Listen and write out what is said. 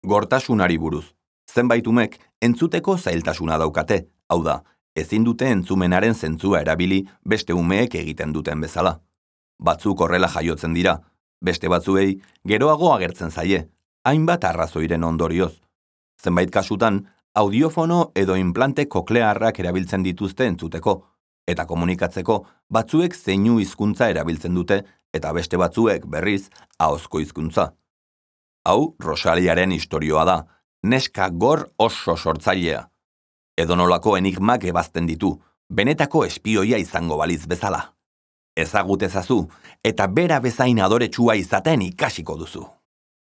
Gortasunari buruz. Zenbait umek entzuteko zailtasuna daukate, hau da, ezin dute entzumenaren zentzua erabili beste umeek egiten duten bezala. Batzuk horrela jaiotzen dira, beste batzuei geroago agertzen zaie, hainbat arrazoiren ondorioz. Zenbait kasutan, audiofono edo implante koklearrak erabiltzen dituzte entzuteko, eta komunikatzeko batzuek zeinu hizkuntza erabiltzen dute eta beste batzuek berriz ahozko hizkuntza. Hau Rosaliaren istorioa da, neska gor oso sortzailea. Edonolako enigmak ebazten ditu, benetako espioia izango baliz bezala. Ezagut ezazu, eta bera bezain adoretsua izaten ikasiko duzu.